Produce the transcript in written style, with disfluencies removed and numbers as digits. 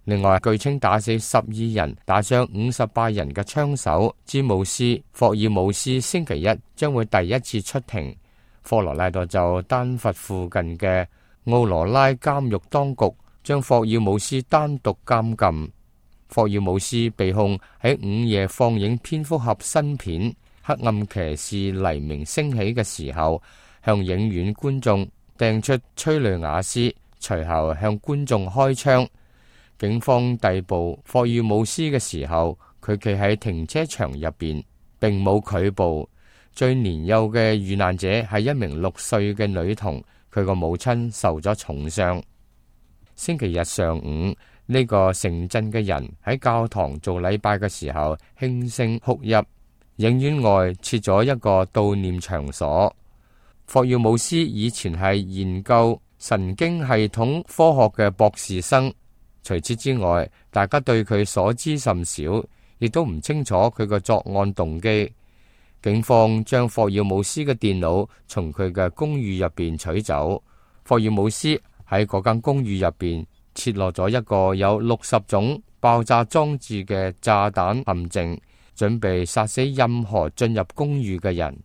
另外，據稱打死12人、打傷58人嘅槍手詹姆斯霍爾姆斯星期一將會第一次出庭。科羅拉多州丹佛附近嘅奧羅拉監獄當局將霍爾姆斯單獨監禁。霍爾姆斯被控喺午夜放映蝙蝠俠新片《黑暗騎士黎明升起》嘅時候，向影院觀眾掟出催淚瓦斯，隨後向觀眾開槍。警方逮捕霍爾姆斯嘅時候，佢企喺停車場入邊，並冇拒捕。最年幼嘅遇難者係一名6歲嘅女童，佢個母親受咗重傷。星期日上午，呢個城鎮嘅人喺教堂做禮拜嘅時候輕聲哭泣。影院外設咗一個悼念場所。霍爾姆斯以前係研究神經系統科學嘅博士生。除此之外，大家對佢所知甚少，亦都唔清楚佢嘅作案動機。警方將霍爾姆斯嘅電腦從佢嘅公寓入邊取走。霍爾姆斯喺嗰間公寓入邊設落咗一個有60種爆炸裝置嘅炸彈陷阱，準備殺死任何進入公寓嘅人。